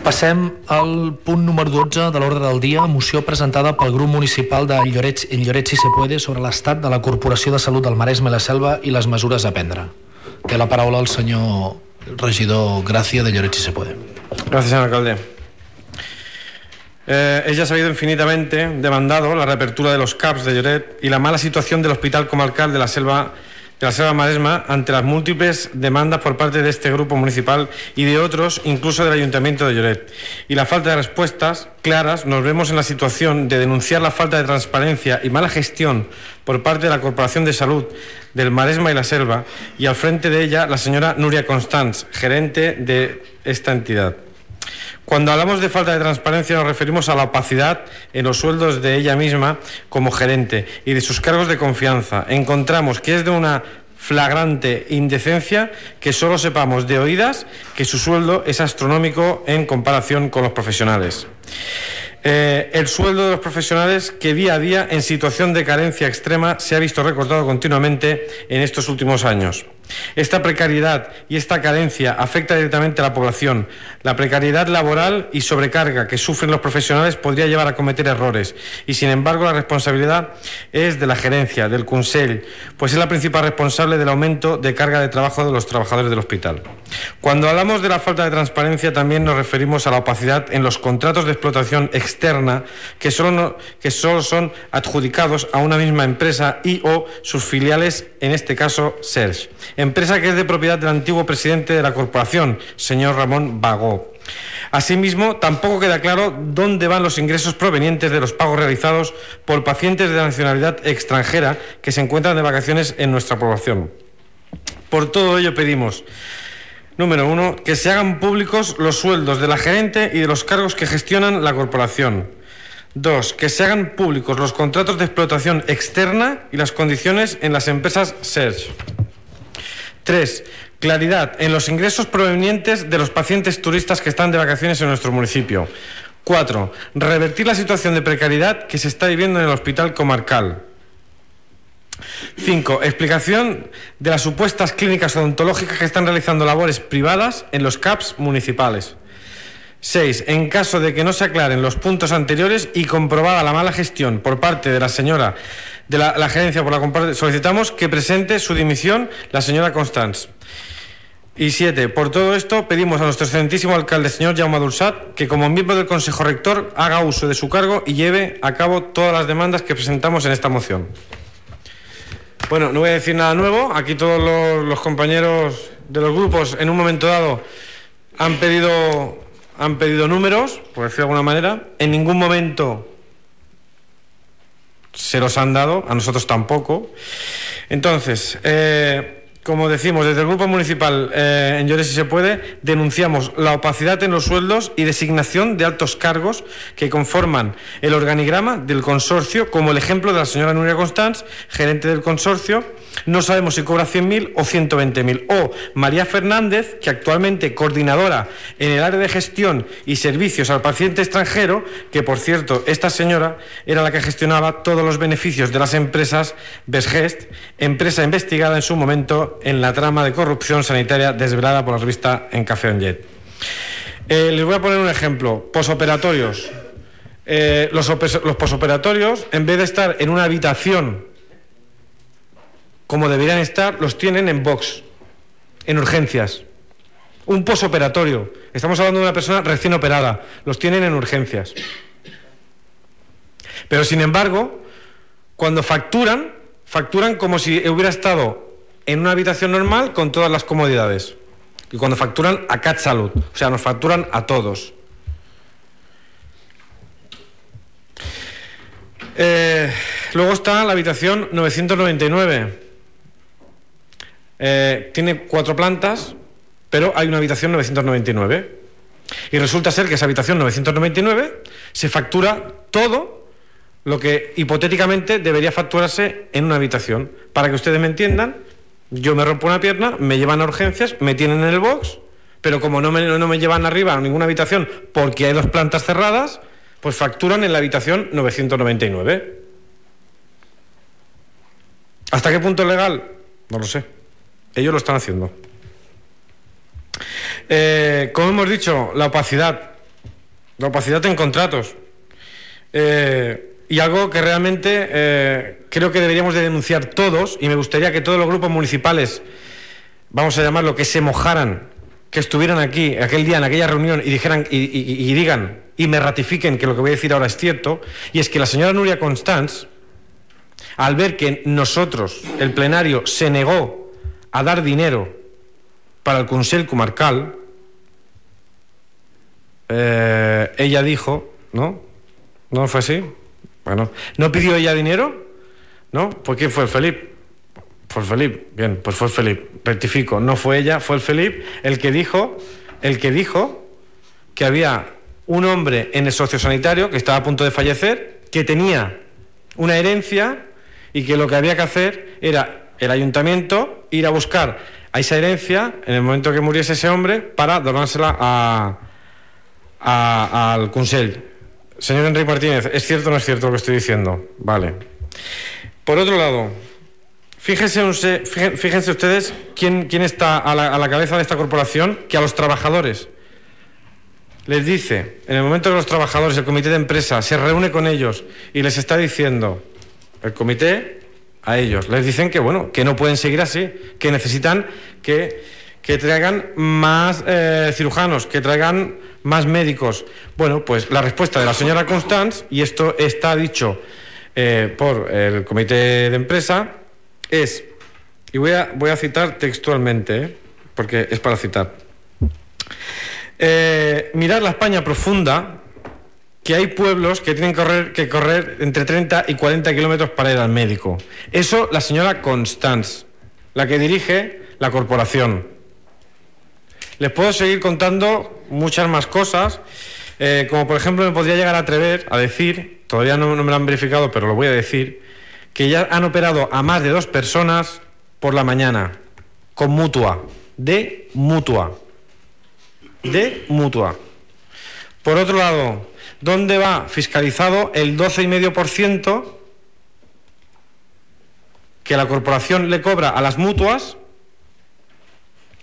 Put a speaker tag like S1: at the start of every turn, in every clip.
S1: Passem al punt número 12 de l'ordre del dia, moció presentada pel grup municipal de Lloret Si se puede sobre l'estat de la Corporació de Salut del Maresme i la Selva i les mesures a prendre. Té la paraula el senyor regidor Gracia de Lloret Si se puede.
S2: Gracias, señor alcalde. Es ya sabido infinitamente demandado la reapertura de los CAPs de Lloret y la mala situación del Hospital Comarcal de la Selva Maresma ante las múltiples demandas por parte de este grupo municipal y de otros, incluso del Ayuntamiento de Lloret. Y la falta de respuestas claras, nos vemos en la situación de denunciar la falta de transparencia y mala gestión por parte de la Corporación de Salud del Maresma y la Selva, y al frente de ella la señora Núria Constans, gerente de esta entidad. Cuando hablamos de falta de transparencia nos referimos a la opacidad en los sueldos de ella misma como gerente y de sus cargos de confianza. Encontramos que es de una flagrante indecencia que solo sepamos de oídas que su sueldo es astronómico en comparación con los profesionales. El sueldo de los profesionales que día a día en situación de carencia extrema se ha visto recortado continuamente en estos últimos años. Esta precariedad y esta carencia afecta directamente a la población. La precariedad laboral y sobrecarga que sufren los profesionales podría llevar a cometer errores y, sin embargo, la responsabilidad es de la gerencia, del Consell, pues es la principal responsable del aumento de carga de trabajo de los trabajadores del hospital. Cuando hablamos de la falta de transparencia también nos referimos a la opacidad en los contratos de explotación externa que solo son adjudicados a una misma empresa y o sus filiales, en este caso Serge, empresa que es de propiedad del antiguo presidente de la corporación, señor Ramón Bagó. Asimismo, tampoco queda claro dónde van los ingresos provenientes de los pagos realizados por pacientes de nacionalidad extranjera que se encuentran de vacaciones en nuestra población. Por todo ello pedimos, número 1, que se hagan públicos los sueldos de la gerente y de los cargos que gestionan la corporación. 2, que se hagan públicos los contratos de explotación externa y las condiciones en las empresas Serge. 3, claridad en los ingresos provenientes de los pacientes turistas que están de vacaciones en nuestro municipio. 4, revertir la situación de precariedad que se está viviendo en el Hospital Comarcal. 5, explicación de las supuestas clínicas odontológicas que están realizando labores privadas en los CAPs municipales. 6, en caso de que no se aclaren los puntos anteriores y comprobada la mala gestión por parte de la señora de la gerencia por la compra, solicitamos que presente su dimisión la señora Constans. Y 7, por todo esto pedimos a nuestro excelentísimo alcalde, señor Jaume Dulsat, que como miembro del Consejo Rector haga uso de su cargo y lleve a cabo todas las demandas que presentamos en esta moción. Bueno, no voy a decir nada nuevo. Aquí todos los compañeros de los grupos en un momento dado han pedido números, por decirlo de alguna manera. En ningún momento se los han dado, a nosotros tampoco. Entonces, como decimos, desde el Grupo Municipal en Lloret Si se puede, denunciamos la opacidad en los sueldos y designación de altos cargos que conforman el organigrama del consorcio, como el ejemplo de la señora Núria Constans, gerente del consorcio. No sabemos si cobra 100.000 o 120.000. O María Fernández, que actualmente coordinadora en el área de gestión y servicios al paciente extranjero, que por cierto, esta señora era la que gestionaba todos los beneficios de las empresas Besgest, empresa investigada en su momento en la trama de corrupción sanitaria desvelada por la revista En Café on Jet. Les voy a poner un ejemplo. Posoperatorios. Los posoperatorios, en vez de estar en una habitación como deberían estar, los tienen en box, en urgencias. Un posoperatorio. Estamos hablando de una persona recién operada. Los tienen en urgencias. Pero, sin embargo, cuando facturan como si hubiera estado en una habitación normal con todas las comodidades. Y cuando facturan a CAT Salud. O sea, nos facturan a todos. Luego está la habitación 999. Tiene 4 plantas, pero hay una habitación 999. Y resulta ser que esa habitación 999 se factura todo lo que hipotéticamente debería facturarse en una habitación. Para que ustedes me entiendan, yo me rompo una pierna, me llevan a urgencias, me tienen en el box, pero como no me llevan arriba a ninguna habitación porque hay 2 plantas cerradas, pues facturan en la habitación 999. ¿Hasta qué punto es legal? No lo sé. Ellos lo están haciendo. Como hemos dicho, la opacidad La opacidad en contratos. Y algo que realmente creo que deberíamos de denunciar todos, y me gustaría que todos los grupos municipales, vamos a llamarlo, que se mojaran, que estuvieran aquí aquel día en aquella reunión y dijeran y digan y me ratifiquen que lo que voy a decir ahora es cierto, y es que la señora Núria Constans, al ver que nosotros, el plenario, se negó a dar dinero para el Consell Comarcal, ella dijo, ¿no? ¿No fue así? Bueno, ¿no pidió ella dinero? ¿No? ¿Por qué fue el Felip? Fue el Felip, bien, pues fue el Felip. Rectifico, no fue ella, fue el Felip el que dijo que había un hombre en el sociosanitario que estaba a punto de fallecer, que tenía una herencia y que lo que había que hacer era el ayuntamiento ir a buscar a esa herencia en el momento que muriese ese hombre para donársela al Consell. Señor Enrique Martínez, ¿es cierto o no es cierto lo que estoy diciendo? Vale. Por otro lado, fíjense ustedes quién está a la cabeza de esta corporación, que a los trabajadores les dice, en el momento que los trabajadores, el comité de empresa, se reúne con ellos y les está diciendo, el comité, a ellos, les dicen que, bueno, que no pueden seguir así, que necesitan que traigan más cirujanos, que traigan más médicos. Bueno, pues la respuesta de la señora Constans, y esto está dicho por el comité de empresa, es, y voy a citar textualmente, porque es para citar, mirar la España profunda, que hay pueblos que tienen que correr entre 30 y 40 kilómetros para ir al médico. Eso la señora Constans, la que dirige la corporación. Les puedo seguir contando muchas más cosas, como por ejemplo me podría llegar a atrever a decir, todavía no me lo han verificado, pero lo voy a decir, que ya han operado a más de 2 personas por la mañana, con mutua, de mutua. Por otro lado, ¿dónde va fiscalizado el 12,5% que la corporación le cobra a las mutuas?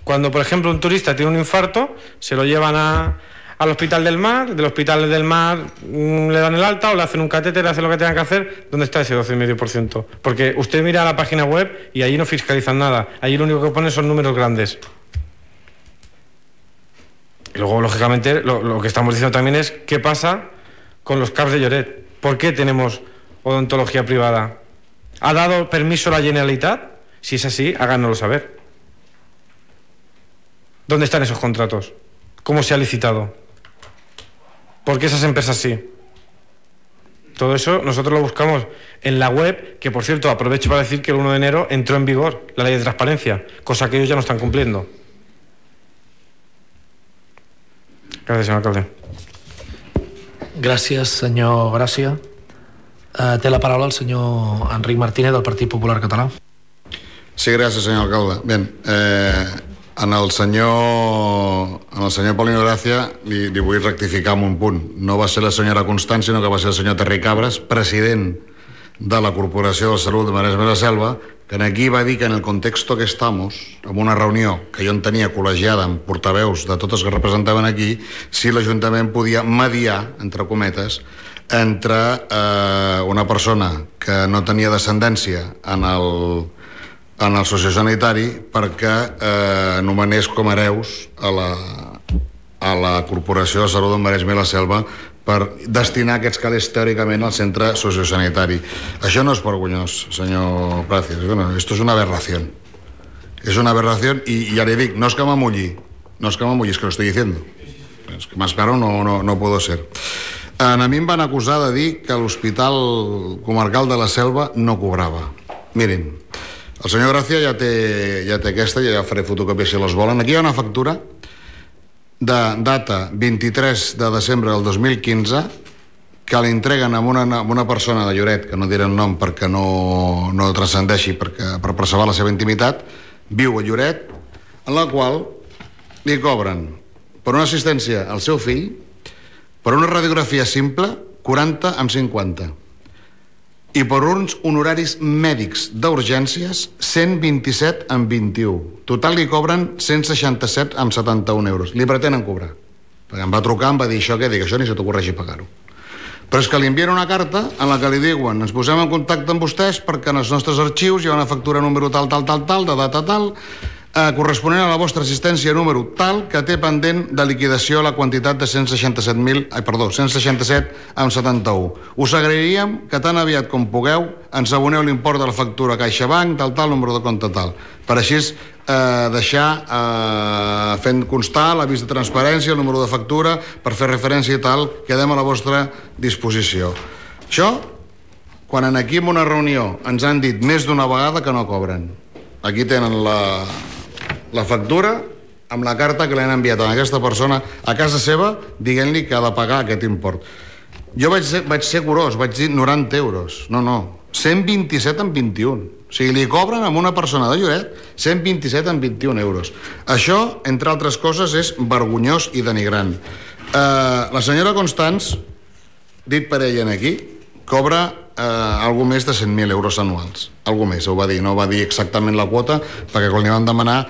S2: Cuando, por ejemplo, un turista tiene un infarto, se lo llevan al Hospital del Mar, del Hospital del Mar le dan el alta o le hacen un catéter, le hacen lo que tengan que hacer. ¿Dónde está ese 12,5%? Porque usted mira la página web y allí no fiscalizan nada. Allí lo único que ponen son números grandes. Y luego, lógicamente, lo que estamos diciendo también es qué pasa con los CAPs de Lloret. ¿Por qué tenemos odontología privada? ¿Ha dado permiso la Generalitat? Si es así, háganoslo saber. ¿Dónde están esos contratos? ¿Cómo se ha licitado? ¿Por qué esas empresas sí? Todo eso nosotros lo buscamos en la web, que por cierto aprovecho para decir que el 1 de enero entró en vigor la ley de transparencia, cosa que ellos ya no están cumpliendo. Gràcies, senyor alcalde.
S1: Gràcies, senyor Gràcia. Té la paraula el senyor Enric Martínez, del Partit Popular Català.
S3: Sí, gràcies, senyor alcalde. Bé, en el senyor Paulino Gràcia li vull rectificar en un punt. No va ser la senyora Constans, sinó que va ser el senyor Terri Cabres, president de la Corporació de Salut de Maresme i la Selva, que aquí va dir que en el context que estamos, en una reunió que jo en tenia col·legiada amb portaveus de totes que representaven aquí, si l'Ajuntament podia mediar, entre cometes, entre una persona que no tenia descendència en el sociosanitari perquè nomenés com hereus a la Corporació de Salut del Maresme i la Selva per destinar aquests calés teòricament al centre sociosanitari. Això no és vergonyós, senyor Gracias. Bueno, esto es una aberración. Es una aberración y ya le digo, no es que m'amulli, es que lo estoy diciendo. Es que más claro no puedo ser. A mi em van acusar de dir que l'Hospital Comarcal de la Selva no cobrava. Miren, el senyor Gràcia ja té aquesta, ja faré fotocòpies si les volen. Aquí hi ha una factura de data 23 de desembre del 2015 que l'entreguen a una persona de Lloret, que no diré el nom perquè no transcendeixi per preservar la seva intimitat, viu a Lloret, en la qual li cobren per una assistència al seu fill, per una radiografia simple, 40 amb 50. I per uns honoraris mèdics d'urgències, 127 amb 21. Total li cobren 167 amb 71 euros. Li pretenen cobrar. perquè em va trucar, em va dir això, què? Dic, això ni se t'ocorreixi pagar-ho. Però és que li envien una carta en la que li diuen ens posem en contacte amb vostès perquè en els nostres arxius hi ha una factura número tal, de data tal, corresponent a la vostra assistència número tal, que té pendent de liquidació la quantitat de 167,71. Us agrairíem que tan aviat com pugueu ens aboneu l'import de la factura CaixaBank, tal, número de compte tal. Per així deixar fent constar l'avís de transparència, el número de factura, per fer referència i tal, quedem a la vostra disposició. Això, quan aquí en una reunió ens han dit més d'una vegada que no cobren. Aquí tenen la factura amb la carta que li han enviat a aquesta persona a casa seva dient-li que ha de pagar aquest import. Jo vaig ser curós, vaig dir 90 euros. No, 127 en 21. O sigui, li cobren a una persona de Lloret 127 en 21 euros. Això, entre altres coses, és vergonyós i denigrant. La senyora Constans, dit per ella aquí, cobra algo més de 100.000 euros anuals. Algo més, ho va dir. No va dir exactament la quota, perquè quan li van demanar,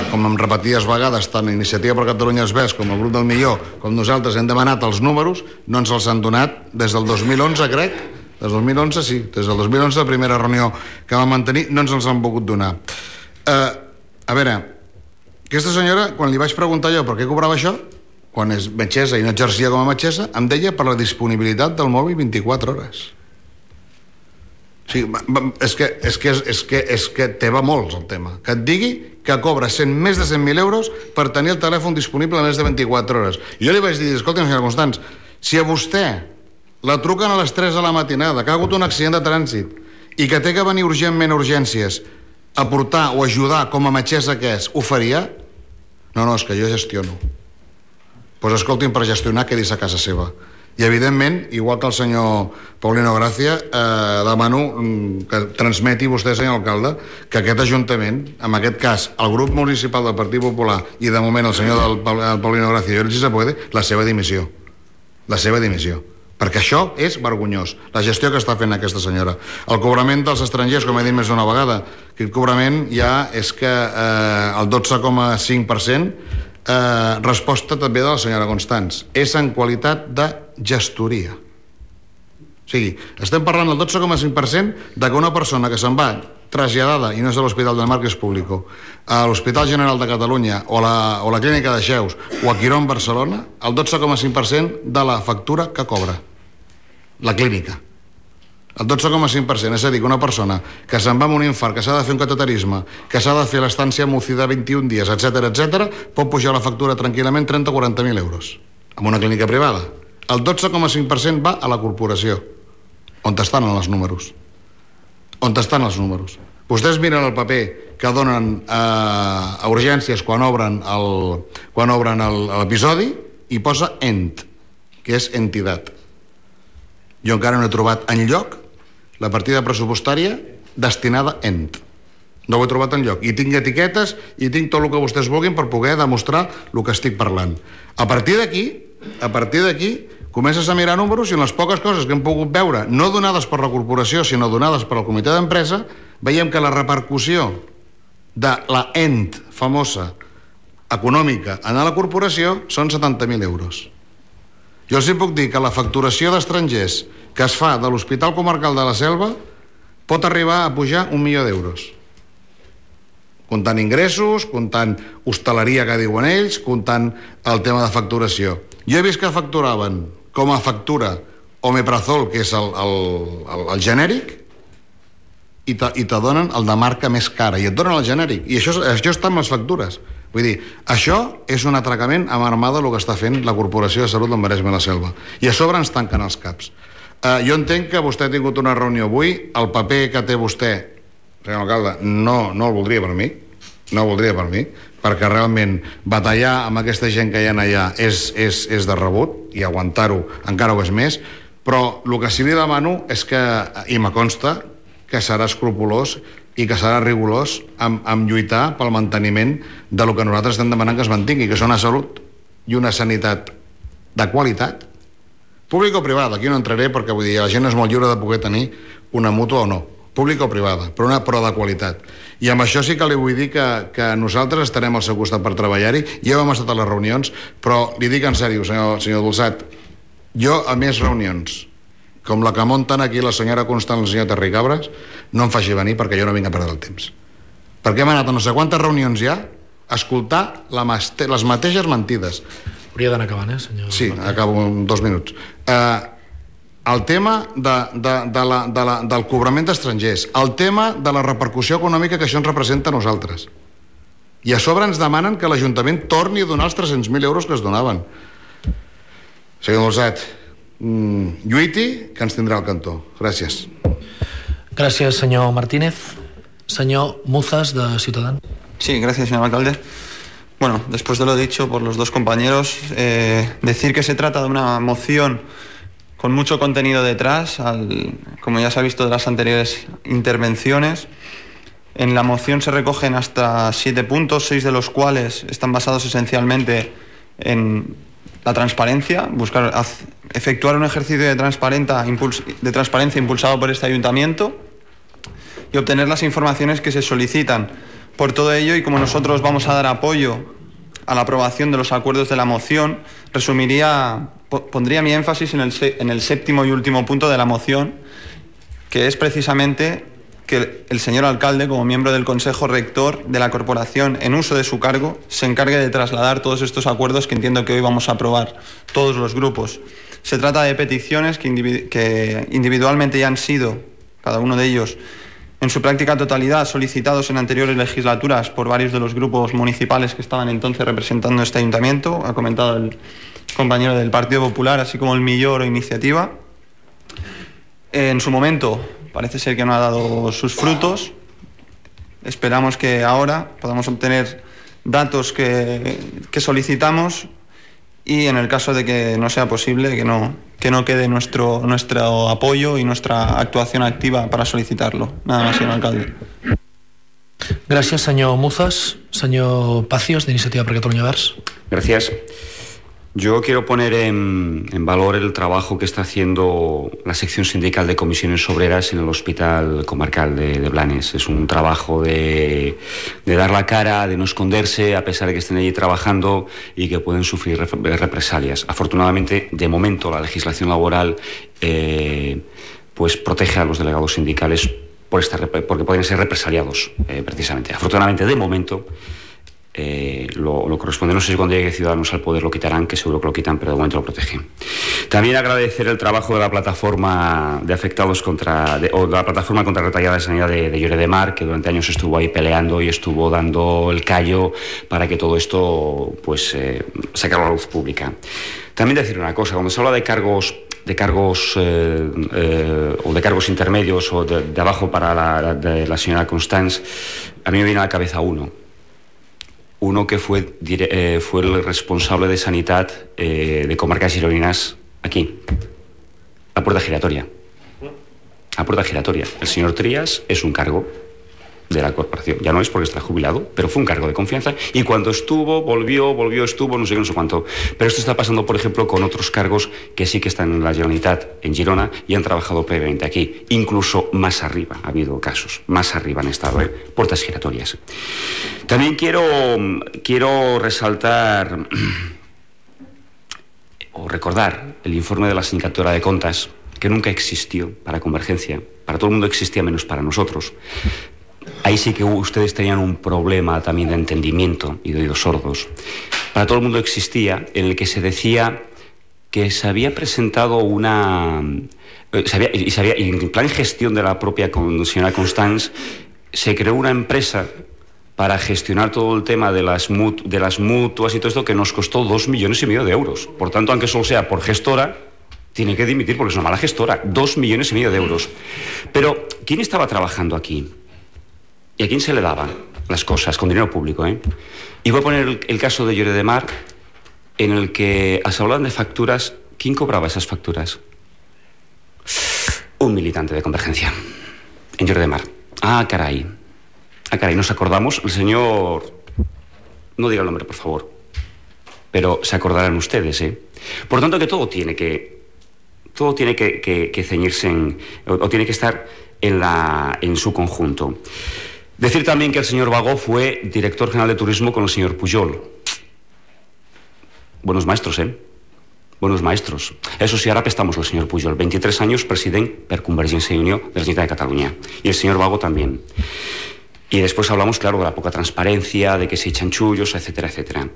S3: com em repetides vegades, tant Iniciativa per Catalunya es Ves com el Grup del Millor, com nosaltres hem demanat els números, no ens els han donat des del 2011, crec. Des del 2011, sí. Des del 2011, la primera reunió que vam mantenir, no ens els han volgut donar. A veure, aquesta senyora, quan li vaig preguntar jo per què cobrava això, quan és metgessa i no exercia com a metgessa, em deia per la disponibilitat del mòbil 24 hores. O sigui, és que te va molt el tema. Que et digui que cobra més de 100.000 euros per tenir el telèfon disponible més de 24 hores. I jo li vaig dir, escolta, senyora Constans, si a vostè la truquen a les 3 de la matinada, que ha hagut un accident de trànsit i que té que venir urgentment a urgències a portar o ajudar com a metgessa que és, ho faria? No, és que jo gestiono. Doncs escolti'm, per gestionar quedis a casa seva. I evidentment, igual que el senyor Paulino Gracia, demano que transmeti vostè, senyor alcalde, que aquest ajuntament, en aquest cas el grup municipal del Partit Popular i de moment el senyor Paulino Gracia i si se puede, la seva dimissió. Perquè això és vergonyós, la gestió que està fent aquesta senyora. El cobrament dels estrangers, com he dit més d'una vegada, aquest cobrament ja és que el 12,5%, resposta també de la senyora Constans, és en qualitat de gestoria. O sigui, estem parlant del 12,5% de que una persona que se'n va traslladada, i no és a l'Hospital del Mar, que és públic, a l'Hospital General de Catalunya o la Clínica de Xeus o a Quirón, Barcelona, el 12,5% de la factura que cobra la clínica. El 12,5%, és a dir, que una persona que se'n va amb un infart, que s'ha de fer un cateterisme, que s'ha de fer l'estància a UCI de 21 dies, etc., pot pujar la factura tranquil·lament 30 o 40.000 euros en una clínica privada. El 12,5% va a la corporació. On estan els números? On estan els números? Vostès miren el paper que donen a urgències quan obren l'episodi i posa ENT, que és entitat. Jo encara no he trobat enlloc la partida pressupostària destinada a ENT. No ho he trobat enlloc. I tinc etiquetes i tinc tot el que vostès vulguin per poder demostrar el que estic parlant. A partir d'aquí, comences a mirar números i en les poques coses que hem pogut veure, no donades per la corporació, sinó donades per al comitè d'empresa, veiem que la repercussió de la ENT famosa econòmica en la corporació són 70.000 euros. Jo els puc dir que la facturació d'estrangers que es fa de l'Hospital Comarcal de la Selva pot arribar a pujar 1 milió d'euros. Comptant ingressos, comptant hostaleria que diuen ells, comptant el tema de facturació. Jo he vist que facturaven com a factura omeprazol, que és el genèric, i te donen el de marca més cara, i et donen el genèric. I això està en les factures. Vull dir, això és un atracament amb armada el que està fent la Corporació de Salut del Maresme i la Selva. I a sobre ens tanquen els caps. Jo entenc que vostè ha tingut una reunió avui, el paper que té vostè, senyor alcalde, no el voldria per mi, perquè realment batallar amb aquesta gent que hi ha allà és de rebut, i aguantar-ho encara ho és més, però el que sí li demano és que, i me consta, que serà escrupolós i que serà rigorós en lluitar pel manteniment de lo que nosaltres estem demanant que es mantingui, que és una salut i una sanitat de qualitat, pública o privada. Aquí no entraré perquè vull dir, la gent és molt lliure de poder tenir una mútua o no, pública o privada, però de qualitat. I amb això sí que li vull dir que nosaltres estarem al seu costat per treballar-hi. Ja hem estat a les reunions, però li dic en sèrio, senyor Dolçat, jo a més reunions com la que munten aquí la senyora Constant i el senyor Terri Cabres no em faci venir, perquè jo no vinc a perdre el temps, perquè hem anat a no sé quantes reunions ja a escoltar les mateixes mentides.
S1: Hauria d'anar acabant, senyor?
S3: Sí, acabo en 2 minuts. El tema del cobrament d'estrangers, el tema de la repercussió econòmica que això ens representa a nosaltres, i a sobre ens demanen que l'Ajuntament torni a donar els 300.000 euros que es donaven. Senyor Dolçat, lluiti, que ens tindrà al cantó. Gràcies.
S1: Gràcies, senyor Martínez. Senyor Muzas, de Ciutadans.
S4: Sí, gracias, señor alcalde. Bueno, después de lo dicho por los dos compañeros, decir que se trata de una moción con mucho contenido detrás, como ya se ha visto de las anteriores intervenciones. En la moción se recogen hasta 7 puntos, 6 de los cuales están basados esencialmente en la transparencia, efectuar un ejercicio de transparencia impulsado por este ayuntamiento y obtener las informaciones que se solicitan. Por todo ello, y como nosotros vamos a dar apoyo a la aprobación de los acuerdos de la moción, pondría mi énfasis en el 7º y último punto de la moción, que es precisamente que el señor alcalde, como miembro del Consejo Rector de la Corporación, en uso de su cargo, se encargue de trasladar todos estos acuerdos que entiendo que hoy vamos a aprobar todos los grupos. Se trata de peticiones que individualmente ya han sido, cada uno de ellos, en su práctica totalidad, solicitados en anteriores legislaturas por varios de los grupos municipales que estaban entonces representando este ayuntamiento. Ha comentado el compañero del Partido Popular, así como el Millor o Iniciativa. En su momento parece ser que no ha dado sus frutos. Esperamos que ahora podamos obtener datos que solicitamos, y en el caso de que no sea posible, que no quede nuestro apoyo y nuestra actuación activa para solicitarlo. Nada más, señor alcalde.
S1: Gràcies, senyor Muzas. Senyor Pacios, de Iniciativa per Catalunya Verds.
S5: Gracias. Yo quiero poner en valor el trabajo que está haciendo la sección sindical de comisiones obreras en el Hospital Comarcal de Blanes. Es un trabajo de dar la cara, de no esconderse, a pesar de que estén allí trabajando y que pueden sufrir represalias. Afortunadamente, de momento, la legislación laboral pues protege a los delegados sindicales porque pueden ser represaliados, precisamente. Afortunadamente, de momento, lo corresponde. No sé si cuando llegue Ciudadanos al poder lo quitarán, que seguro que lo quitan, pero de momento lo protegen. También agradecer el trabajo de la plataforma de afectados de la plataforma contra la retallada de sanidad de Lloret de Mar, que durante años estuvo ahí peleando y estuvo dando el callo para que todo esto pues sacara a la luz pública. También decir una cosa: cuando se habla de cargos o de cargos intermedios o de abajo para la señora Constance, a mí me viene a la cabeza uno que fue el responsable de Sanidad de Comarcas Gironines aquí, la Puerta Giratoria. La Puerta Giratoria. El señor Trías es un cargo de la corporación. Ya no es porque está jubilado, pero fue un cargo de confianza. Y cuando estuvo, no sé qué, no sé cuánto. Pero esto está pasando, por ejemplo, con otros cargos que sí que están en la Generalitat, en Girona, y han trabajado previamente aquí. Incluso más arriba ha habido casos. Más arriba han estado, puertas giratorias. También quiero resaltar o recordar el informe de la Sindicatura de Contas, que nunca existió para Convergencia. Para todo el mundo existía, menos para nosotros. Ahí sí que ustedes tenían un problema también de entendimiento y de oídos sordos. Para todo el mundo existía, en el que se decía que se había presentado y en plan de gestión de la propia señora Constance, se creó una empresa para gestionar todo el tema de las mutuas y todo esto, que nos costó 2,5 millones de euros. Por tanto, aunque solo sea por gestora, tiene que dimitir porque es una mala gestora. 2,5 millones de euros. Pero, ¿quién estaba trabajando aquí? ¿Y a quién se le daban las cosas? Con dinero público, Y voy a poner el caso de Lloret de Mar, en el que se hablaban de facturas. ¿Quién cobraba esas facturas? Un militante de Convergencia, en Lloret de Mar. Ah, caray, nos acordamos. El señor... No diga el nombre, por favor. Pero se acordarán ustedes, Por tanto, que todo tiene que ceñirse o tiene que estar en su conjunto. Decir también que el señor Bagó fue director general de turismo con el señor Pujol. Buenos maestros, Buenos maestros. Eso sí, ara estamos el señor Pujol. 23 años president per Convergència i Unió de la Generalitat de Cataluña. Y el señor Bagó también. Y después hablamos, claro, de la poca transparencia, de que se echan chullos, etcétera, etcétera.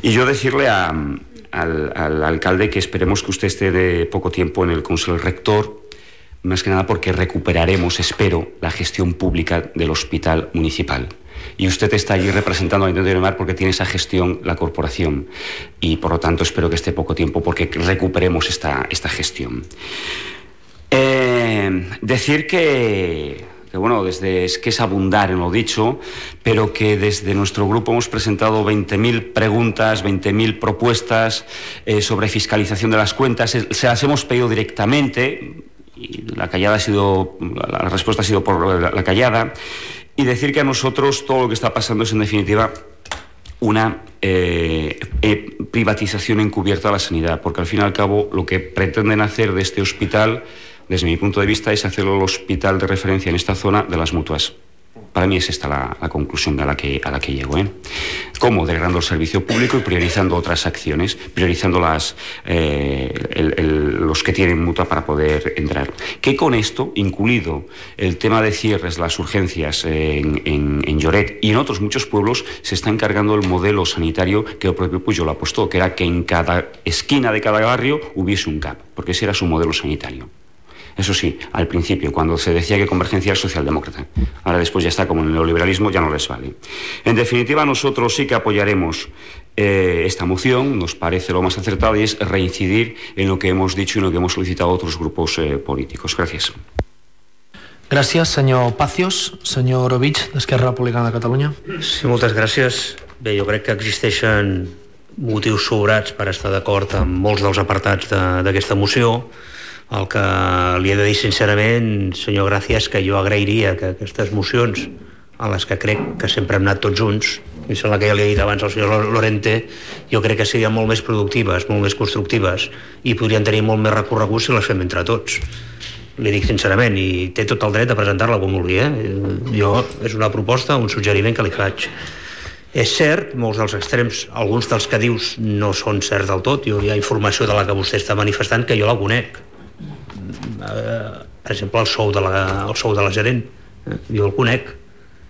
S5: Y yo decirle al alcalde que esperemos que usted esté de poco tiempo en el Consejo Rector, más que nada porque recuperaremos, espero, la gestión pública del hospital municipal. Y usted está allí representando al Ayuntamiento de Mar porque tiene esa gestión la corporación. Y por lo tanto espero que esté poco tiempo porque recuperemos esta gestión. Decir que bueno, es que es abundar en lo dicho, pero que desde nuestro grupo hemos presentado 20.000 preguntas, 20.000 propuestas sobre fiscalización de las cuentas. Se las hemos pedido directamente y la respuesta ha sido por la callada. Y decir que a nosotros todo lo que está pasando es, en definitiva, una privatización encubierta de la sanidad, porque al fin y al cabo lo que pretenden hacer de este hospital, desde mi punto de vista, es hacerlo el hospital de referencia en esta zona de las mutuas. Para mí es esta la conclusión a la que llego. ¿Cómo? Degradando el servicio público y priorizando otras acciones, priorizando los que tienen mutua para poder entrar. Que con esto, incluido el tema de cierres, las urgencias en Lloret y en otros muchos pueblos, se está encargando el modelo sanitario que el propio Pujol apostó, que era que en cada esquina de cada barrio hubiese un CAP, porque ese era su modelo sanitario. Eso sí, al principio, cuando se decía que Convergencia era socialdemócrata. Ahora después ya está como en el neoliberalismo, ya no les vale. En definitiva, nosotros sí que apoyaremos esta moción, nos parece lo más acertado, y es reincidir en lo que hemos dicho y en lo que hemos solicitado a otros grupos políticos. Gracias.
S1: Gràcies, senyor Pacios. Senyor Orovich, d'Esquerra Republicana de Catalunya.
S6: Sí, moltes gràcies. Bé, jo crec que existeixen motius sobrats per estar d'acord amb molts dels apartats d'aquesta moció. El que li he de dir sincerament, senyor Gràcia, és que jo agrairia que aquestes mocions, a les que crec que sempre hem anat tots junts, i sembla que ja li he dit abans al senyor Lorente, jo crec que serien molt més productives, molt més constructives, i podrien tenir molt més recorregut si les fem entre tots. Li dic sincerament, i té tot el dret a presentar-la com vulgui. Jo, és una proposta, un suggeriment que li faig. És cert, molts dels extrems, alguns dels que dius no són certs del tot. Hi ha informació de la que vostè està manifestant que jo la conec. Per exemple, el sou de la gerent, jo el conec,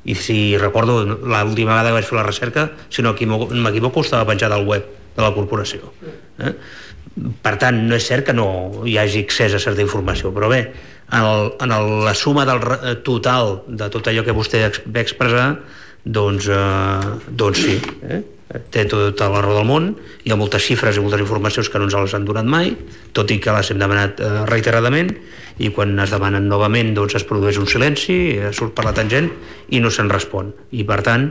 S6: i si recordo l'última vegada que vaig fer la recerca, si no m'equivoco, estava penjada al web de la corporació. Per tant, no és cert que no hi hagi accés a certa informació, però bé, en la suma del total de tot allò que vostè va expressar, doncs sí, té tota la raó del món, hi ha moltes xifres i moltes informacions que no ens les han donat mai, tot i que les hem demanat reiteradament, i quan es demanen novament doncs es produeix un silenci, surt per la tangent i no se'n respon. I per tant,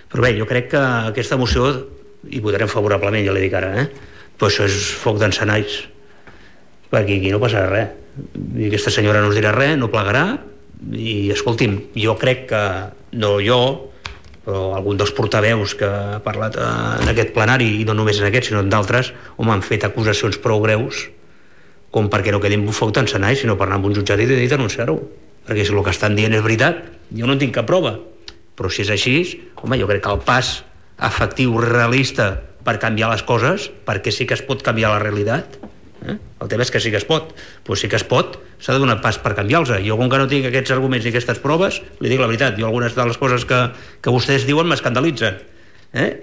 S6: però bé, jo crec que aquesta moció, i votarem favorablement, ja l'he dit ara, però això és foc d'encenalls, perquè aquí no passarà res. I aquesta senyora no us dirà res, no plegarà, i escolti'm, jo crec que, no jo, però algun dels portaveus que ha parlat en aquest plenari, i no només en aquest sinó en d'altres, m'han fet acusacions prou greus com perquè no quedi un foc d'encenalls, sinó per anar amb un jutjat i denunciar-ho, perquè si el que estan dient és veritat, jo no en tinc cap prova, però si és així, home, jo crec que el pas efectiu, realista per canviar les coses, perquè sí que es pot canviar la realitat, el tema és que sí que es pot, doncs sí que es pot, s'ha de donar pas per canviar-los. Jo, com que no tinc aquests arguments i aquestes proves, li dic la veritat, jo algunes de les coses que vostès diuen m'escandalitzen,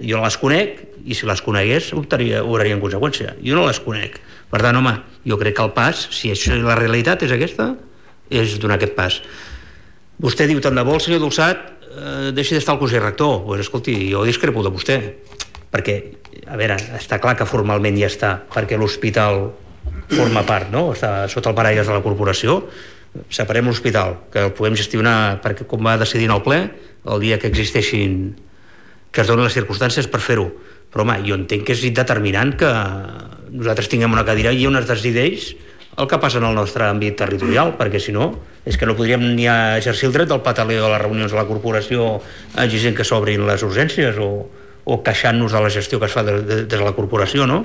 S6: jo les conec, i si les conegués obraria en conseqüència. Jo no les conec, per tant, home, jo crec que el pas, si això, la realitat és aquesta, és donar aquest pas. Vostè diu, tant de bo el senyor Dolçat deixi d'estar al Consell Rector. Doncs escolti, jo discrepo de vostè, perquè, a veure, està clar que formalment ja està, perquè l'hospital forma part, no? Està sota el paraigües de la corporació. Separem l'hospital, que el puguem gestionar, perquè com va decidir en el ple, el dia que existeixin, que es donen les circumstàncies per fer-ho. Però home, jo entenc que és determinant que nosaltres tinguem una cadira i on es decideix el que passa en el nostre àmbit territorial, perquè si no, és que no podríem ni exercir el dret del pataleo a les reunions de la corporació exigint que s'obrin les urgències o queixant-nos de la gestió que es fa des de la corporació, no?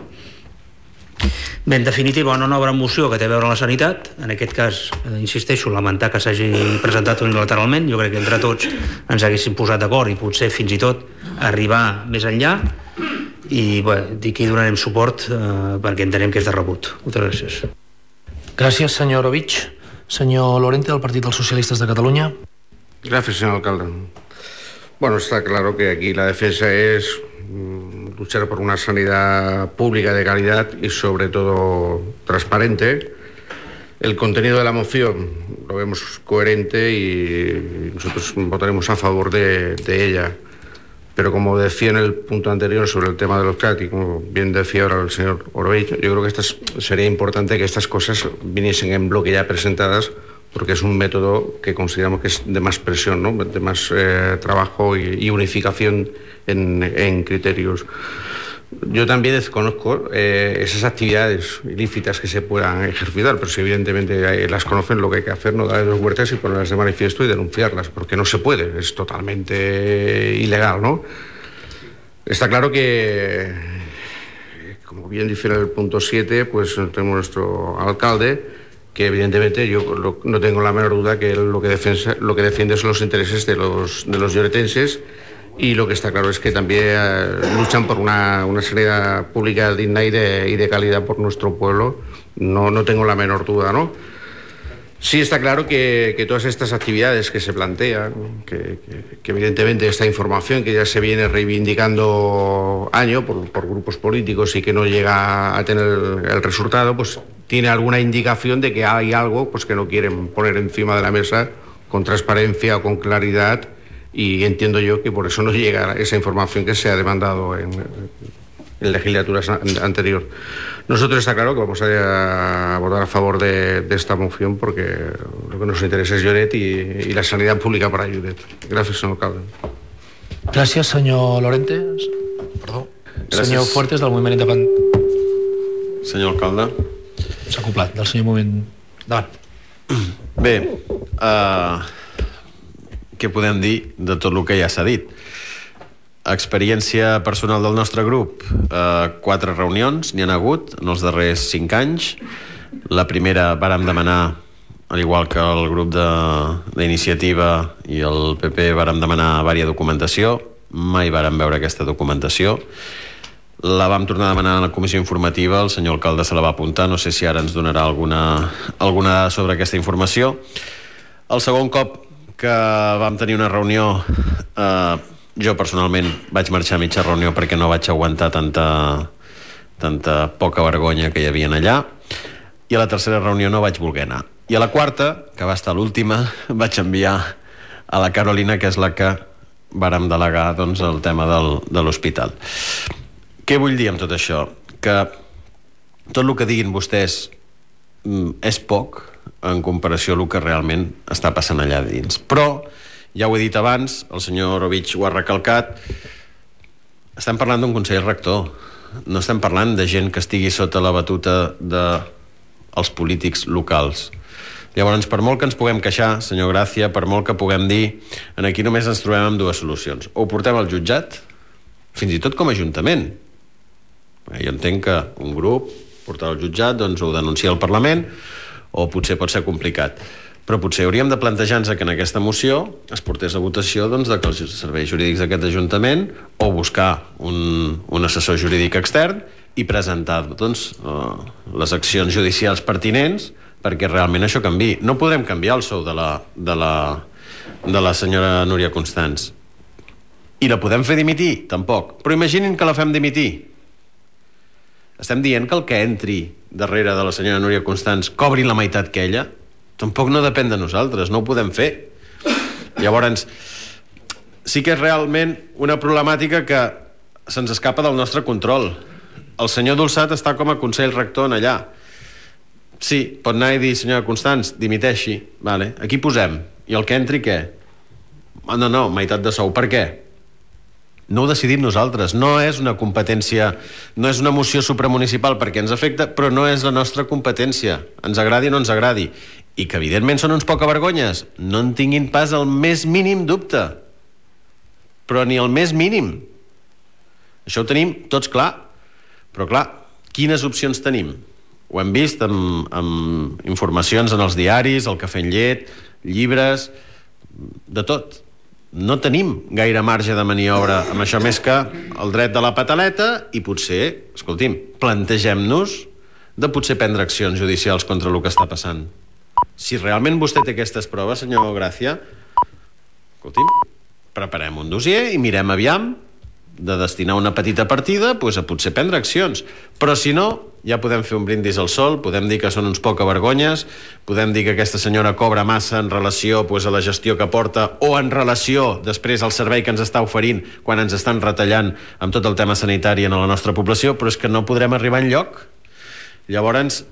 S6: Bé, en definitiva, una nova moció que té a veure amb la sanitat. En aquest cas, insisteixo, lamentar que s'hagi presentat unilateralment. Jo crec que entre tots ens haguéssim posat d'acord i potser fins i tot arribar més enllà. I bé, dic que hi donarem suport perquè entenem que és de rebut. Moltes gràcies.
S1: Gràcies, senyor Orovich. Senyor Lorente, del Partit dels Socialistes de Cataluña.
S7: Gracias, señor alcalde. Bueno, está claro que aquí la defensa es luchar por una sanidad pública de calidad y sobre todo transparente. El contenido de la moción lo vemos coherente y nosotros votaremos a favor de ella. Pero como decía en el punto anterior sobre el tema de los CAT y como bien decía ahora el señor Orovich, yo creo que sería importante que estas cosas viniesen en bloque ya presentadas, porque es un método que consideramos que es de más presión, ¿no? De más trabajo y unificación en criterios. Yo también desconozco esas actividades ilícitas que se puedan ejercitar, pero si evidentemente las conocen, lo que hay que hacer no darles vueltas y ponerlas de manifiesto y denunciarlas, porque no se puede, es totalmente ilegal, ¿no? Está claro que, como bien dice en el punto 7, pues tenemos nuestro alcalde, que evidentemente yo no tengo la menor duda que él lo que defiende son los intereses de los lloretenses, y lo que está claro es que también luchan por una sanidad pública digna y de calidad por nuestro pueblo. No tengo la menor duda, ¿no? Sí está claro que todas estas actividades que se plantean, que evidentemente esta información que ya se viene reivindicando año por grupos políticos y que no llega a tener el resultado, pues tiene alguna indicación de que hay algo pues que no quieren poner encima de la mesa con transparencia o con claridad, y entiendo yo que por eso no llega esa información que se ha demandado en legislaturas anterior. Nosotros está claro que vamos a votar a favor de esta moción porque lo que nos interesa es Lloret y la sanidad pública para Lloret. Gracias, señor alcalde.
S1: Gràcies, senyor Lorente. Perdó.
S8: Gràcies.
S1: Senyor Fuertes, del Moviment Independent.
S8: Senyor alcalde.
S1: S'ha acoplat, del senyor Moviment... Davant.
S8: Bé, què podem dir de tot el que ja s'ha dit? Experiència personal del nostre grup, 4 reunions n'hi han hagut en els darrers 5 anys. La primera vàrem demanar, al igual que el grup d'iniciativa i el PP, vàrem demanar vària documentació. Mai vàrem veure aquesta documentació. La vam tornar a demanar a la comissió informativa, el senyor alcalde se la va apuntar, no sé si ara ens donarà alguna dada sobre aquesta informació. El segon cop que vam tenir una reunió, jo personalment vaig marxar a mitja reunió perquè no vaig aguantar tanta poca vergonya que hi havia allà, i a la tercera reunió no vaig voler anar. I a la quarta, que va estar l'última, vaig enviar a la Carolina, que és la que vàrem delegar doncs, el tema de l'hospital. Què vull dir amb tot això? Que tot el que diguin vostès és poc en comparació amb el que realment està passant allà dins. Però ja ho he dit abans, el senyor Orovich ho ha recalcat, estem parlant d'un consell rector, no estem parlant de gent que estigui sota la batuta dels polítics locals. Llavors, per molt que ens puguem queixar, senyor Gràcia, per molt que puguem dir, aquí només ens trobem amb 2 solucions. O ho portem al jutjat, fins i tot com a ajuntament. Jo entenc que un grup portar al jutjat, doncs ho denuncia al Parlament, o potser pot ser complicat. Però potser hauríem de plantejar-nos que en aquesta moció es portés a votació doncs, que els serveis jurídics d'aquest Ajuntament, o buscar un assessor jurídic extern i presentar doncs, les accions judicials pertinents perquè realment això canviï. No podrem canviar el sou de la senyora Núria Constans. I la podem fer dimitir? Tampoc. Però imaginin que la fem dimitir. Estem dient que el que entri darrere de la senyora Núria Constans cobri la meitat que ella? Tampoc no depèn de nosaltres, no ho podem fer. Llavors, sí que és realment una problemàtica que se'ns escapa del nostre control. El senyor Dolçat està com a consell rector en allà. Sí, pot anar i dir, senyora Constans, dimiteixi. Vale. Aquí posem. I el que entri, què? No, meitat de sou. Per què? No ho decidim nosaltres. No és una competència, no és una moció supramunicipal perquè ens afecta, però no és la nostra competència. Ens agradi o no ens agradi. I que evidentment són uns pocavergonyes, no en tinguin pas el més mínim dubte, però ni el més mínim. Això ho tenim tots clar, però clar, quines opcions tenim? Ho hem vist amb informacions en els diaris, el cafè amb llet, llibres, de tot. No tenim gaire marge de maniobra amb això, més que el dret de la pataleta, i potser, escolti'm, plantegem-nos de potser prendre accions judicials contra el que està passant. Si realment vostè té aquestes proves, senyor Gràcia, escolti'm, preparem un dossier i mirem aviam de destinar una petita partida a potser prendre accions. Però si no, ja podem fer un brindis al sol, podem dir que són uns pocavergonyes, podem dir que aquesta senyora cobra massa en relació a la gestió que porta o en relació després al servei que ens està oferint quan ens estan retallant amb tot el tema sanitari en la nostra població, però és que no podrem arribar enlloc. Llavors,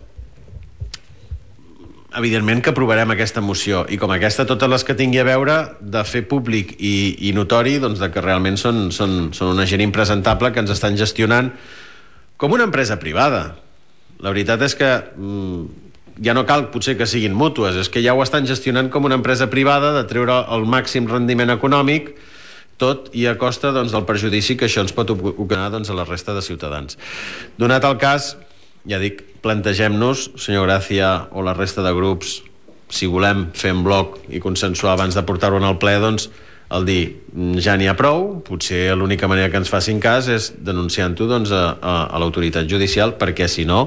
S8: evidentment que aprovarem aquesta moció, i com aquesta totes les que tingui a veure de fer públic i notori doncs, de que realment són una gent impresentable que ens estan gestionant com una empresa privada. La veritat és que ja no cal potser que siguin mútues, és que ja ho estan gestionant com una empresa privada, de treure el màxim rendiment econòmic, tot i a costa del perjudici que això ens pot ocasionar a la resta de ciutadans. Donat el cas, ja dic, plantegem-nos, senyor Gràcia o la resta de grups, si volem fer en bloc i consensuar abans de portar-ho al ple, doncs el dir, ja n'hi ha prou, potser l'única manera que ens facin cas és denunciant-ho a l'autoritat judicial, perquè si no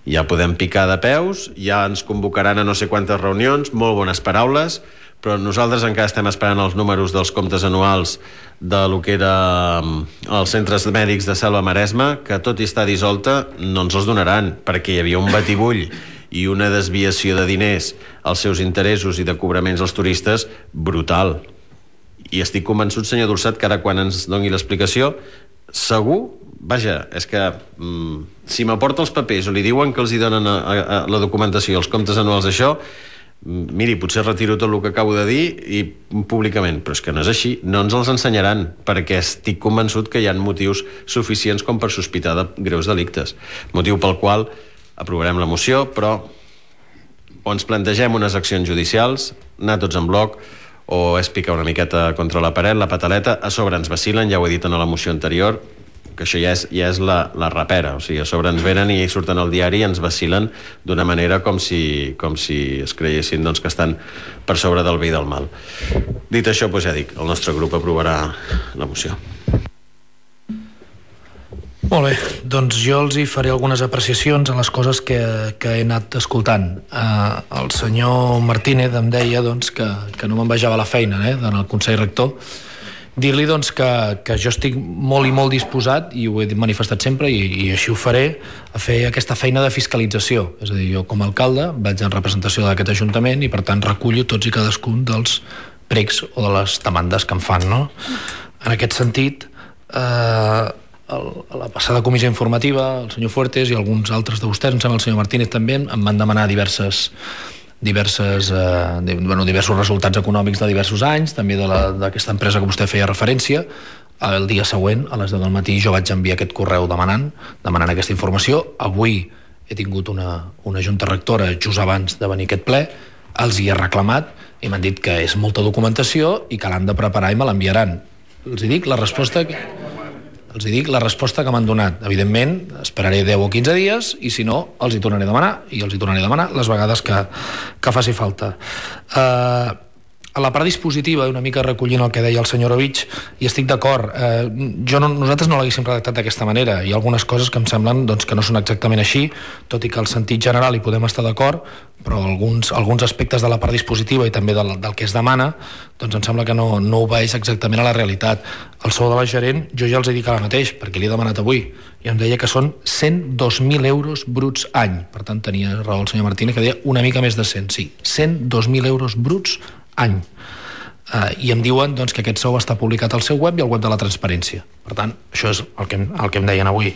S8: ja podem picar de peus, ja ens convocaran a no sé quantes reunions, molt bones paraules, però nosaltres encara estem esperant els números dels comptes anuals de lo que era els centres mèdics de Selva Maresma, que tot i estar dissolta no ens els donaran, perquè hi havia un batibull i una desviació de diners als seus interessos i de cobraments als turistes brutal. I estic convençut, senyor Dolçat, que ara quan ens doni l'explicació, segur, vaja, és que si m'aporta els papers o li diuen que els hi donen a la documentació i els comptes anuals d'això, miri, potser retiro tot el que acabo de dir i públicament, però és que no és així, no ens els ensenyaran, perquè estic convençut que hi ha motius suficients com per sospitar de greus delictes, motiu pel qual aprovarem la moció, però o ens plantegem unes accions judicials, anar tots en bloc, o és picar una miqueta contra la paret, la pataleta, a sobre ens vacilen, ja ho he dit en la moció anterior, que això ja és la rapera, o sigui, a sobre ens venen i surten al diari i ens vacilen d'una manera com si es creiessin que estan per sobre del bé i del mal. Dit això, doncs ja dic, el nostre grup aprovarà la moció.
S1: Molt bé, doncs jo els hi faré algunes apreciacions a les coses que he anat escoltant. El senyor Martínez em deia que no m'envejava la feina en el Consell Rector. Dir-li que jo estic molt i molt disposat, i ho he manifestat sempre i així ho faré, a fer aquesta feina de fiscalització. És a dir, jo com a alcalde vaig en representació d'aquest Ajuntament i per tant recullo tots i cadascun dels pregs o de les demandes que em fan, no? En aquest sentit, a la passada comissió informativa, el senyor Fuertes i alguns altres de vostès, em sembla el senyor Martínez també, em van demanar diversos resultats econòmics de diversos anys, també d'aquesta empresa que vostè feia referència. El dia següent, a les 10 del matí, jo vaig enviar aquest correu demanant aquesta informació. Avui he tingut una junta rectora just abans de venir a aquest ple, els hi he reclamat i m'han dit que és molta documentació i que l'han de preparar i me l'enviaran. Els hi dic la resposta que m'han donat. Evidentment, esperaré 10 o 15 dies i si no, els hi tornaré a demanar les vegades que faci falta. A la part dispositiva, una mica recollint el que deia el senyor Ovich, i estic d'acord, nosaltres no l'haguéssim redactat d'aquesta manera. Hi ha algunes coses que em semblen que no són exactament així, tot i que el sentit general hi podem estar d'acord, però alguns aspectes de la part dispositiva i també del que es demana, doncs em sembla que no obeeix exactament a la realitat. El sou de la gerent, jo ja els he dit ara mateix, perquè l'he demanat avui, i em deia que són 102.000 euros bruts any. Per tant, tenia raó el senyor Martínez, que deia una mica més de 100, sí. 102.000 euros bruts any. I em diuen que aquest sou està publicat al seu web i al web de la transparència. Per tant, això és el que em deien avui.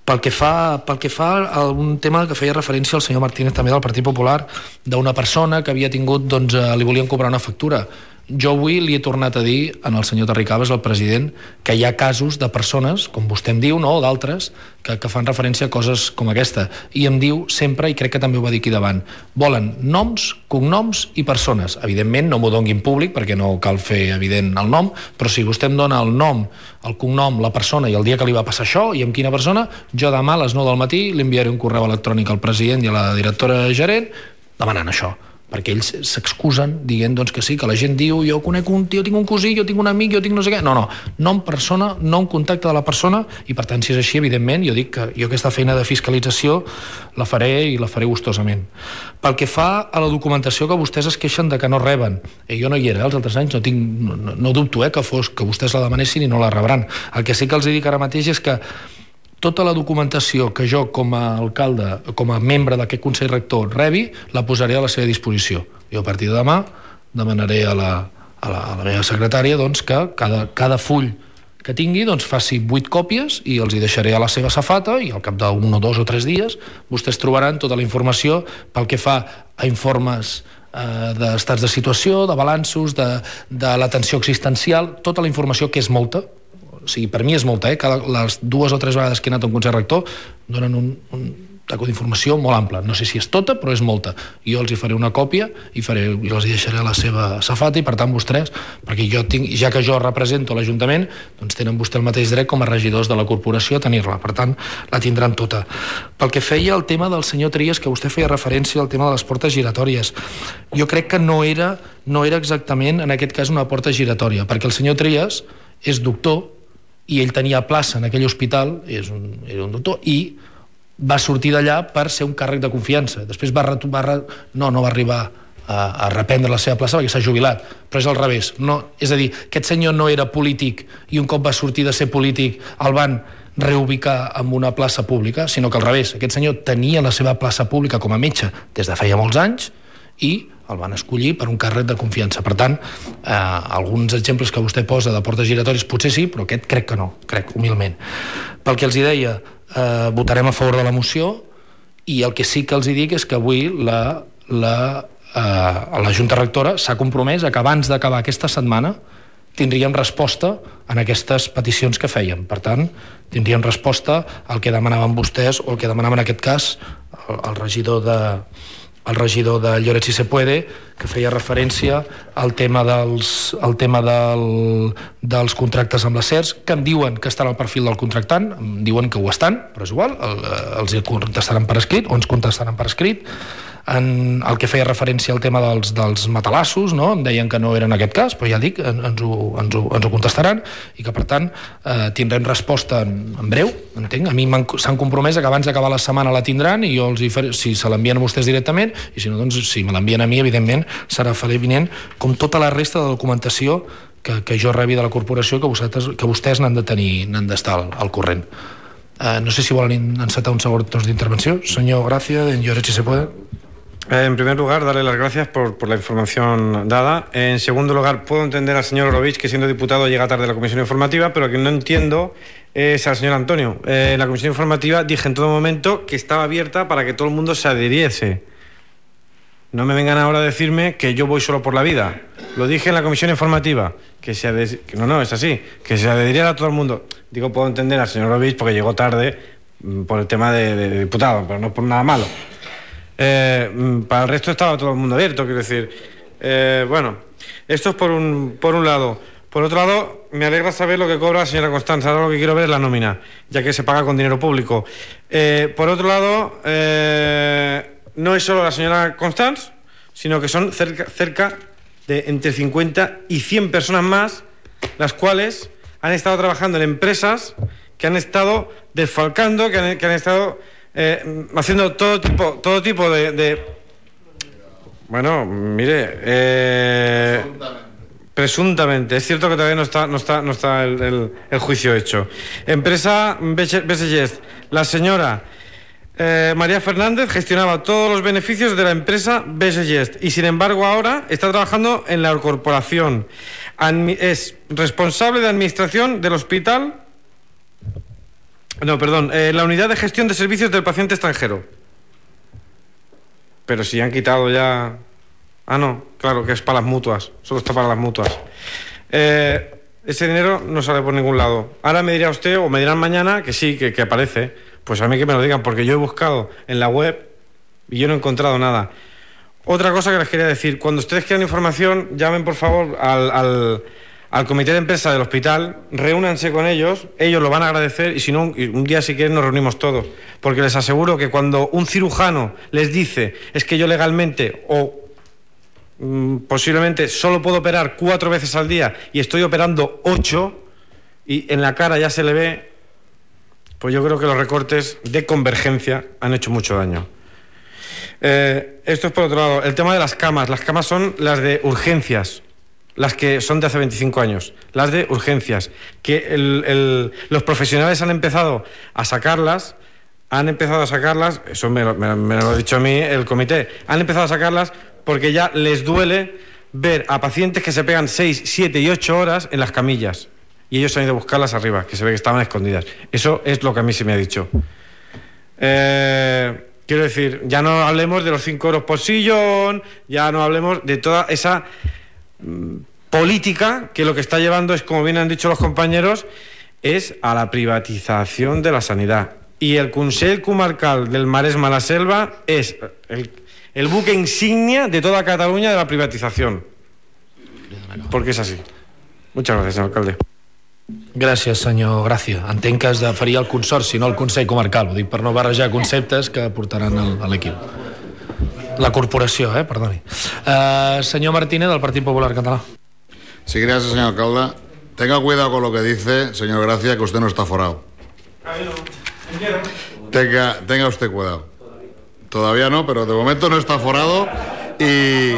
S1: Pel que fa a un tema que feia referència al senyor Martínez també del Partit Popular, d'una persona que havia tingut, li volien cobrar una factura. Jo avui li he tornat a dir al senyor Terricabas, el president, que hi ha casos de persones, com vostè em diu, no, o d'altres, que fan referència a coses com aquesta. I em diu sempre, i crec que també ho va dir aquí davant, volen noms, cognoms i persones. Evidentment, no m'ho doni en públic, perquè no cal fer evident el nom, però si vostè em dona el nom, el cognom, la persona i el dia que li va passar això i amb quina persona, jo demà a les 9 del matí li enviaré un correu electrònic al president i a la directora gerent demanant això, perquè ells s'excusen dient doncs, que sí, que la gent diu jo conec jo tinc un cosí, jo tinc un amic, jo tinc no sé què. No, nom persona, nom contacte de la persona, i per tant, si és així, evidentment, jo dic que jo aquesta feina de fiscalització la faré i la faré gustosament. Pel que fa a la documentació que vostès es queixen de que no reben, jo no hi era els altres anys, no dubto que vostès la demanessin i no la rebran. El que sí que els dic ara mateix és que tota la documentació que jo com a alcalde, com a membre d'aquest Consell Rector rebi, la posaré a la seva disposició. Jo a partir de demà demanaré a la meva secretària doncs, que cada full que tingui doncs, faci 8 còpies i els hi deixaré a la seva safata i al cap d'un o 2 o 3 dies vostès trobaran tota la informació pel que fa a informes d'estats de situació, de balanços, de l'atenció existencial, tota la informació que és molta. O sigui, per mi és molta, les 2 o 3 vegades que he anat a un Consell Rector donen un taco d'informació molt ample. No sé si és tota, però és molta. Jo els hi faré una còpia i els hi deixaré a la seva safata i per tant vostès, perquè ja que jo represento l'Ajuntament, doncs tenen vostè el mateix dret com a regidors de la corporació a tenir-la. Per tant, la tindran tota. Pel que feia el tema del senyor Trias, que vostè feia referència al tema de les portes giratòries, jo crec que no era exactament en aquest cas una porta giratòria, perquè el senyor Trias és doctor i ell tenia plaça en aquell hospital, era un doctor, i va sortir d'allà per ser un càrrec de confiança. Després no va arribar a reprendre la seva plaça perquè s'ha jubilat, però és al revés. És a dir, aquest senyor no era polític i un cop va sortir de ser polític el van reubicar en una plaça pública, sinó que al revés, aquest senyor tenia la seva plaça pública com a metge des de feia molts anys i el van escollir per un càrrec de confiança. Per tant, alguns exemples que vostè posa de portes giratòries potser sí, però aquest crec que no, crec, humilment. Pel que els hi deia, votarem a favor de la moció i el que sí que els hi dic és que avui la Junta Rectora s'ha compromès a que abans d'acabar aquesta setmana tindríem resposta en aquestes peticions que fèiem. Per tant, tindríem resposta al que demanaven vostès o el que demanava en aquest cas el regidor de Lloret si se puede, que feia referència al tema dels contractes amb les SERS, que em diuen que estan al perfil del contractant, em diuen que ho estan, però és igual, els contestaran per escrit o ens contestaran per escrit. En el que feia referència al tema dels matalassos, no? Em deien que no era en aquest cas, però ja dic, ens ho contestaran i que per tant tindrem resposta en breu, entenc. A mi s'han compromès que abans d'acabar la setmana la tindran i jo si se l'envien a vostès directament i si no, doncs si me l'envien a mi, evidentment serà evident com tota la resta de documentació que jo rebi de la corporació que vostès n'han d'estar al corrent. No sé si volen encetar un segon torn d'intervenció. Senyor Gracia, de Lloret si se puede.
S2: En primer lugar, darle las gracias por la información dada. En segundo lugar, puedo entender al señor Orovich que siendo diputado llega tarde a la comisión informativa, pero lo que no entiendo es al señor Antonio. En la comisión informativa dije en todo momento que estaba abierta para que todo el mundo se adhiriese. No me vengan ahora a decirme que yo voy solo por la vida. Lo dije en la comisión informativa, no, es así, que se adhiriera a todo el mundo. Digo, puedo entender al señor Orovich porque llegó tarde por el tema de diputado, pero no por nada malo. Para el resto estaba todo el mundo abierto, quiero decir. Bueno, esto es por un lado. Por otro lado, me alegra saber lo que cobra la señora Constanza. Ahora lo que quiero ver es la nómina, ya que se paga con dinero público. Por otro lado, no es solo la señora Constanza, sino que son cerca de entre 50 y 100 personas más, las cuales han estado trabajando en empresas que han estado desfalcando, que han estado haciendo todo tipo de... Bueno, mire, presuntamente. Es cierto que todavía no está el juicio hecho. Empresa Besellest. La señora María Fernández gestionaba todos los beneficios de la empresa Besellest y sin embargo ahora está trabajando en la corporación. Es responsable de administración del hospital... la unidad de gestión de servicios del paciente extranjero. Pero si han quitado ya Ah, no, claro, que es para las mutuas. Solo está para las mutuas. Ese dinero no sale por ningún lado. Ahora me dirá usted, o me dirán mañana, que sí, que aparece. Pues a mí que me lo digan, porque yo he buscado en la web y yo no he encontrado nada. Otra cosa que les quería decir, cuando ustedes quieran información, llamen por favor al comité de empresa del hospital, reúnanse con ellos lo van a agradecer, y si no, un día si quieren nos reunimos todos, porque les aseguro que cuando un cirujano les dice, es que yo legalmente o posiblemente solo puedo operar 4 veces al día y estoy operando 8, y en la cara ya se le ve, pues yo creo que los recortes de Convergencia han hecho mucho daño. Esto es por otro lado. El tema de las camas son las de urgencias, las que son de hace 25 años, las de urgencias, que los profesionales han empezado a sacarlas, eso me lo ha dicho a mí el comité, han empezado a sacarlas porque ya les duele ver a pacientes que se pegan 6, 7 y 8 horas en las camillas, y ellos han ido a buscarlas arriba, que se ve que estaban escondidas. Eso es lo que a mí se me ha dicho. Quiero decir, ya no hablemos de los 5 euros por sillón, ya no hablemos de toda esa política que lo que está llevando es, como bien han dicho los compañeros, es a la privatización de la sanidad. Y el Consell Comarcal del Maresme-la Selva es el buque insignia de toda Cataluña de la privatización. Porque és així. Muchas gracias, senyor alcalde.
S1: Gràcies, senyor Gràcia. Entenc que es referia al Consorci, no al Consell Comarcal. Ho dic per no barrejar conceptes que portaran a l'equip. La corporació, perdoni. Senyor Martínez, del Partit Popular Català.
S3: Sí, gracias, señor alcalde. Tenga cuidado con lo que dice, señor Gracia, que usted no está forado. Tenga usted cuidado. Todavía no, pero de momento no está forado. Y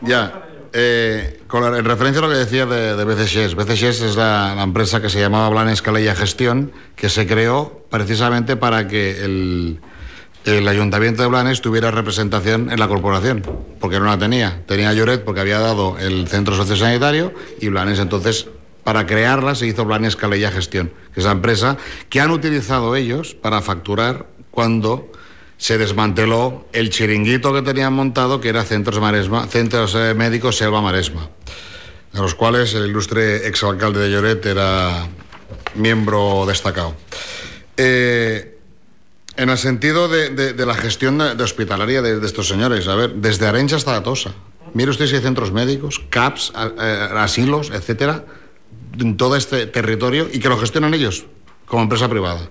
S3: ya, en referencia a lo que decía de BCSES. BCSES es la empresa que se llamaba Blanes Calella Gestión, que se creó precisamente para que el Ayuntamiento de Blanes tuviera representación en la corporación, porque no la tenía. Tenía Lloret porque había dado el centro sociosanitario, y Blanes entonces, para crearla, se hizo Blanes Calella Gestión, que es la empresa que han utilizado ellos para facturar cuando se desmanteló el chiringuito que tenían montado, que era Centros Médicos Selva Maresma, de los cuales el ilustre exalcalde de Lloret era miembro destacado. En el sentido de la gestión de hospitalaria de estos señores, a ver, desde Arenys hasta Atosa, mire usted si hay centros médicos, CAPs, asilos, etcétera, en todo este territorio, y que lo gestionan ellos como empresa privada.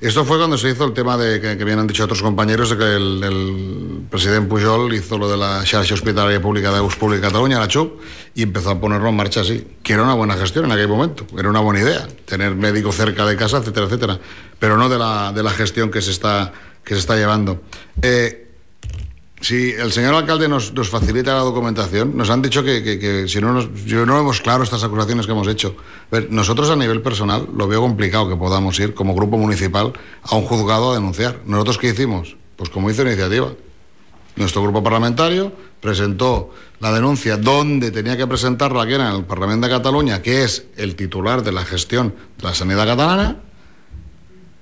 S3: Esto fue cuando se hizo el tema que bien han dicho otros compañeros, de que el presidente Pujol hizo lo de la xarxa hospitalaria pública de Pública Cataluña, la CHUP, y empezó a ponerlo en marcha así, que era una buena gestión en aquel momento, era una buena idea, tener médico cerca de casa, etcétera, etcétera, pero no de la gestión que se está llevando. Si el señor alcalde nos facilita la documentación, nos han dicho que si no vemos claro estas acusaciones que hemos hecho. Nosotros a nivel personal lo veo complicado que podamos ir como grupo municipal a un juzgado a denunciar. ¿Nosotros qué hicimos? Pues como hizo Iniciativa. Nuestro grupo parlamentario presentó la denuncia donde tenía que presentarla, que era en el Parlamento de Cataluña, que es el titular de la gestión de la sanidad catalana.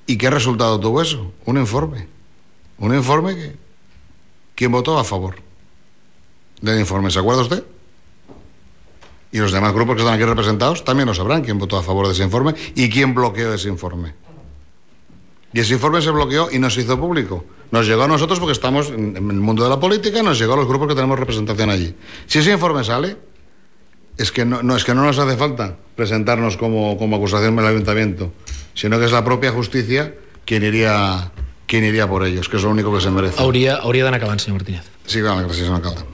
S3: ¿Y qué resultado tuvo eso? Un informe. Un informe que... ¿Quién votó a favor del informe? ¿Se acuerda usted? Y los demás grupos que están aquí representados también lo sabrán quién votó a favor de ese informe y quién bloqueó ese informe. Y ese informe se bloqueó y no se hizo público. Nos llegó a nosotros porque estamos en el mundo de la política, nos llegó a los grupos que tenemos representación allí. Si ese informe sale, es que no nos hace falta presentarnos como acusación del ayuntamiento, sino que es la propia justicia quien iría por ellos, que es lo único que se merece.
S1: Hauria d'anar acabant, senyor Martínez.
S3: Sí, clar, gràcies, senyor alcalde.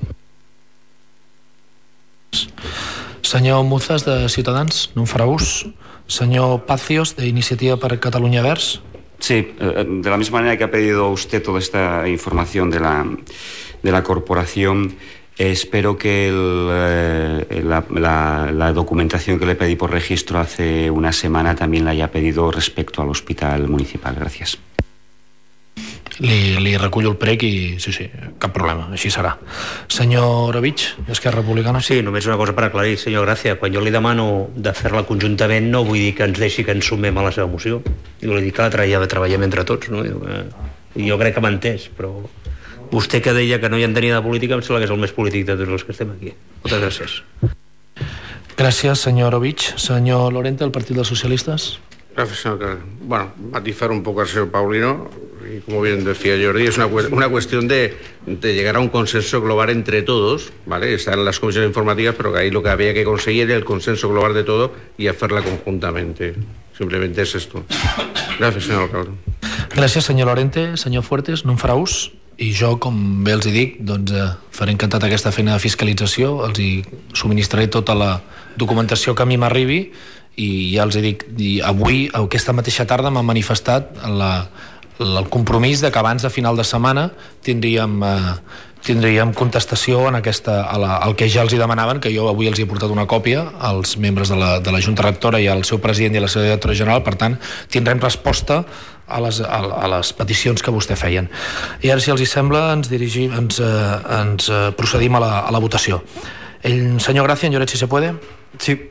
S1: Senyor Muzas, de Ciutadans, no en farà ús. Senyor Pacios, de Iniciativa per Catalunya Verds.
S5: Sí, de la misma manera que ha pedido usted toda esta información de la corporación, espero que la documentación que le pedí por registro hace una semana también la haya pedido respecto al hospital municipal. Gracias.
S1: Li recullo el prec i sí, cap problema, així serà. Senyor Oravich, d'Esquerra Republicana.
S6: Sí, només una cosa per aclarir, senyor Gràcia. Quan jo li demano de fer-la conjuntament, no vull dir que ens deixi que ens sumem a la seva moció. Jo li dic que la treballem entre tots, no? Jo crec que m'ha entès, però Vostè que deia que no hi entenia de política, em sembla que és el més polític de tots els que estem aquí. Moltes gràcies.
S1: Gràcies, senyor Ovich. Senyor Lorente, del Partit dels Socialistes.
S7: Gracias, señor Carrera. Bueno, matizar un poco al señor Paulino, y como bien decía Jordi, es una cuestión de llegar a un consenso global entre todos, ¿vale? Están las comisiones informativas, pero que ahí lo que había que conseguir era el consenso global de todo y hacerla conjuntamente. Simplemente es esto. Gracias, señor alcalde.
S1: Gràcies, senyor Lorente. Senyor Fuertes, no en farà ús? I jo, com bé els hi dic, doncs, faré encantat aquesta feina de fiscalització, els hi subministraré tota la documentació que a mi m'arribi, i ja els dic, avui, aquesta mateixa tarda, m'han manifestat el compromís de que abans de final de setmana tindríem contestació en al que ja els hi demanaven, que jo avui els he portat una còpia als membres de la Junta Rectora i al seu president i a la seva directora general. Per tant, tindrem resposta a les peticions que vostè feien. I ara, si els hi sembla, ens procedim a la votació. Senyor Gracia, en Lloret, si se puede.
S4: Sí.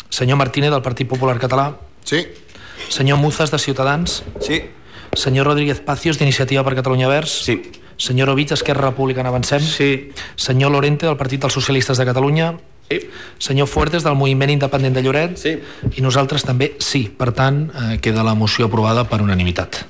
S1: Senyor Martínez, del Partit Popular Català.
S3: Sí.
S1: Senyor Muzas, de Ciutadans.
S4: Sí.
S1: Senyor Rodríguez Pacios, d'Iniciativa per Catalunya Verds.
S4: Sí.
S1: Senyor Ovich, Esquerra Republicana Avancem.
S6: Sí.
S1: Senyor Lorente, del Partit dels Socialistes de Catalunya.
S7: Sí.
S1: Senyor Fuertes, del Moviment Independent de Lloret.
S7: Sí.
S1: I nosaltres també sí. Per tant, queda la moció aprovada per unanimitat.